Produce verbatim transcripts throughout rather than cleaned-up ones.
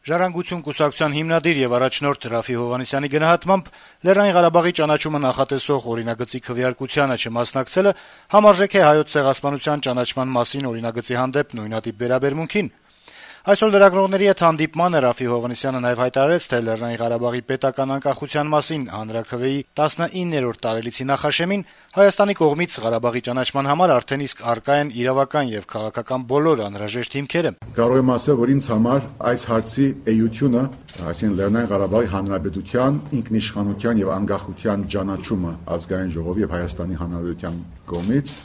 «Ժառանգություն» կուսակցության հիմնադիր եւ առաջնորդ Րաֆֆի Հովհաննիսյանի գնահատմամբ Լեռնային Ղարաբաղի ճանաչումը նախատեսող օրինագծի քվեարկությանը չմասնակցելը համարժեք է Հայոց ցեղասպանության ճանաչման մասին օրինագծի հանդեպ նույնատիպ վերաբերմունքին։ Այսօր լրագրողների հետ հանդիպմանը Րաֆֆի Հովհաննիսյանը նաեւ հայտարարեց, թե Լեռնային Ղարաբաղի պետական անկախության մասին հանրաքվեի տասնիններորդ տարելիցի նախաշեմին Հայաստանի կողմից Ղարաբաղի ճանաչման համար արդեն իսկ առկա են իրավական եւ քաղաքական բոլոր անհրաժեշտ հիմքերը։ Կարող եմ ասել, որ ինձ համար այս հարցի էությունը, այսինքն Լեռնային Ղարաբաղի Հանրապետության ինքնիշխանության եւ անկախության ճանաչումը ազգային ժողովի եւ Հայաստանի Հանրապետության կողմից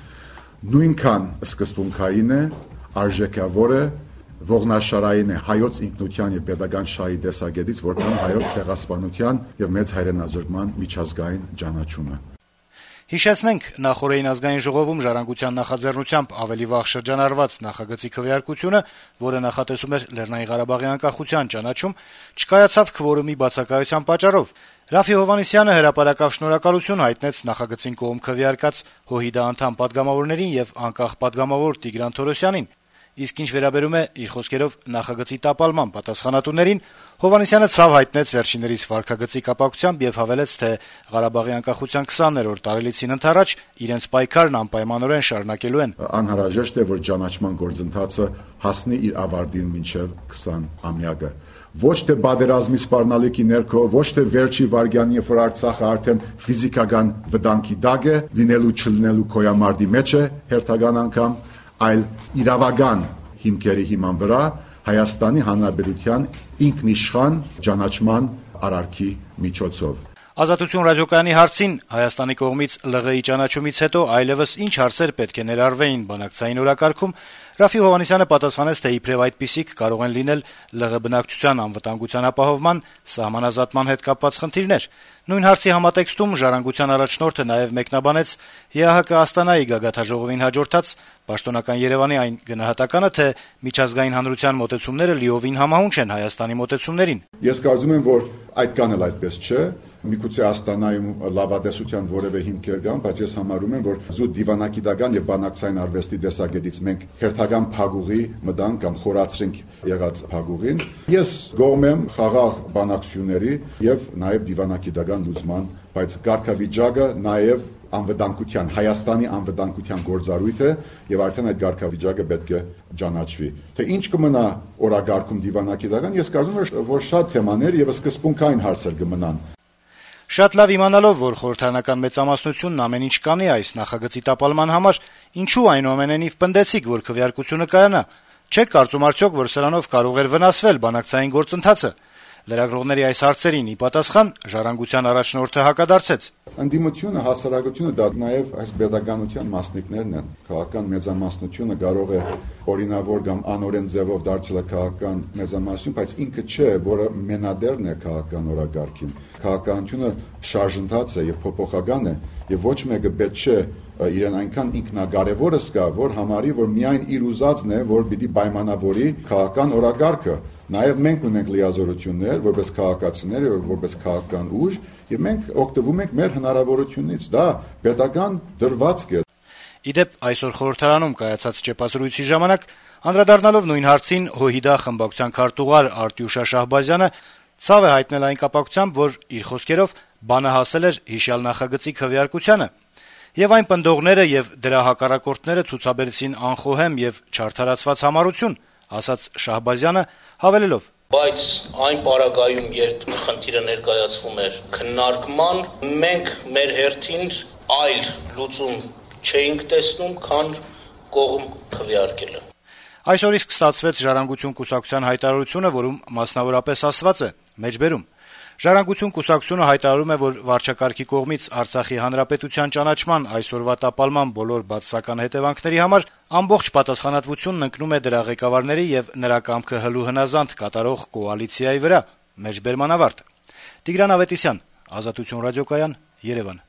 նույնքան սկզբունքային է, արժեքավոր է, ողնաշարային է հայոց ինքնության եւ pedagogan շահի տեսակետից, որքան հայոց ցեղասպանության եւ մեծ հայրենազրկման միջազգային ճանաչումը։ Հիշեցնենք, նախորդին ազգային ժողովում ժառանգության նախաձեռնությամբ ավելի վաղ շրջանառված նախագծի քվեարկությունը, որը նախատեսում էր Լեռնային Ղարաբաղի անկախության ճանաչում, չկայացավ քվորումի բացակայության պատճառով։ Րաֆֆի Հովհաննիսյանը հրապարակավ շնորհակալություն հայտնեց նախագծին կողմ քվեարկած ՀՅԴ անդամ պատգամավորներին եւ անկախ պատգամավոր Տիգրան Թորոսյանին։ Իսկ ինչ վերաբերում է իր խոսքերով նախագծի տապալման պատասխանատուներին, Հովհաննիսյանը ցավ հայտնեց վերջիններիս վարքագծի կապակցությամբ եւ հավելեց, թե Ղարաբաղի անկախության քսաներորդ տարելիցին ընթരാճ իրենց պայքարն անպայմանորեն շարունակելու են։ Անհրաժեշտ է, որ ճանաչման գործընթացը հասնի իր ավարտին մինչեւ քսան ամյակը։ Ոչ թե բادرազմի սպառնալիքի ներքո, ոչ թե վերջի վարգյանի, երբ որ Արցախը արդեն ֆիզիկական վտանգի տակ է, լինելու չլինելու կոյամարտի մեջ է հերթական անգամ, այլ իրավական հիմքերի հիման վրա Հայաստանի Հանրապետության ինքնիշխան ճանաչման արարքի միջոցով։ Ազատություն ռադիոկայանի հարցին Հայաստանի կողմից ԼՂ-ի ճանաչումից հետո այլևս ինչ հարցեր պետք է ներառվեին բանակցային օրակարգում, Րաֆֆի Հովհաննիսյանը պատասխանեց, թե իբրև այդպիսիք կարող են լինել ԼՂ բնակչության անվտանգության ապահովման, սահմանազատման հետ կապված խնդիրներ։ Նույն հարցի համատեքստում ժառանգության առաջնորդը նաև մեկնաբանեց ԵԱՀԿ Աստանայի գագաթաժողովին հաջորդած պաշտոնական Երևանի այն գնահատականը, թե միջազգային հանրության մոտեցումները լիովին համահունչ են Հայաստանի մոտեցումներին։ Ես կարծում եմ, որ այդքան էլ այդպես չէ։ Միգուցե Աստանայում լավատեսության որևէ հիմքեր կան, բայց ես համարում եմ, որ զուտ դիվանագիտական եւ բանակցային արվեստի տեսակետից մենք հերթական փակուղի մտանք կամ խորացրինք եղած փակուղին։ Ես գոհ եմ խաղաղ բանակցությունների եւ նաեւ դիվանագիտական լուծման, բայց կարգավիճակը նաեւ անվտանգության, Հայաստանի անվտանգության գործառույթ է եւ արդեն այդ կարգավիճակը պետք է ճանաչվի։ Թե ինչ կմնա օրակարգում դիվանագիտական, ես կարծում եմ, որ շատ թեմաներ եւ սկզբունքային հարցեր կմնան։ Շատ լավ իմանալով, որ խորհրդարանական մեծամասնությունն ամեն ինչ կանի այս նախագծի տապալման համար, ինչու այնուամենայնիվ պնդեցիք, որ քվեարկությունը կայանա։ Չեք կարծում արդյոք, որ սրանով կարող էր վնասվել բանակցային գործընթացը։ Լրագրողների այս հարցերին ի պատասխան ժառանգության առաջնորդը հակադարձեց. Անդիմությունը, հասարակությունը դա նաև այս pedagoganության մասնիկներն են։ Քաղաքական մեծամասնությունը կարող է օրինավոր կամ անօրեն ձևով դարձել քաղաքական մեծամասնություն, բայց ինքը չէ, որը մենադերն է քաղաքական օրակարգին։ Քաղաքականությունը շարժընթաց է եւ փոփոխական է, եւ ոչ մեկը պետք չէ իրեն այնքան ինքնակարևորը զգա, որ համարի, որ միայն իր ուզածն է, որ պիտի պայմանավորի քաղաքական օրակարգը։ Նաև մենք ունենք լիազորություններ, որպես քաղաքացիներ, որպես քաղաքական ուժ, եւ մենք օգտվում ենք մեր հնարավորությունից։ Դա պետական դրվածք է։ Իդեպ այսօր խորհրդարանում կայացած ճեպազրույցի ժամանակ անդրադառնալով նույն հարցին ՀՅԴ խմբակցության քարտուղար Արտյուշա Շահբազյանը ցավ է հայտնել այն կապակցությամբ, որ իր խոսքերով բանը հասել էր հիշյալ նախագծի քվեարկությանը, եւ այն պնդողները եւ դրա հակառակորդները ցուցաբերեցին անխոհեմ եւ չարդարացված համառություն, ասաց Շահբազյանը հավելելով. Բայց այն պարագայում, երբ խնդիրը ներկայացվում էր քննարկման, մենք մեր հերթին այլ լուծում չէինք տեսնում, քան կողմ քվեարկելը։ Այսօր իսկ ստացվեց Ժառանգություն կուսակցության հայտարարությունը, որում մասնավորապես ասված է. մեջբերում Ժառանգություն կուսակցությունը հայտարարում է, որ վարչակարգի կողմից Արցախի հանրապետության ճանաչման այսօրվա տապալման բոլոր բացասական հետևանքների համար ամբողջ պատասխանատվությունն ընկնում է դրա ղեկավարների եւ նրա կամքը հլու հնազանդ կատարող կոալիցիայի վրա։ Մեջբերման ավարտ։ Տիգրան Ավետիսյան, Ազատություն ռադիոկայան, Երևան։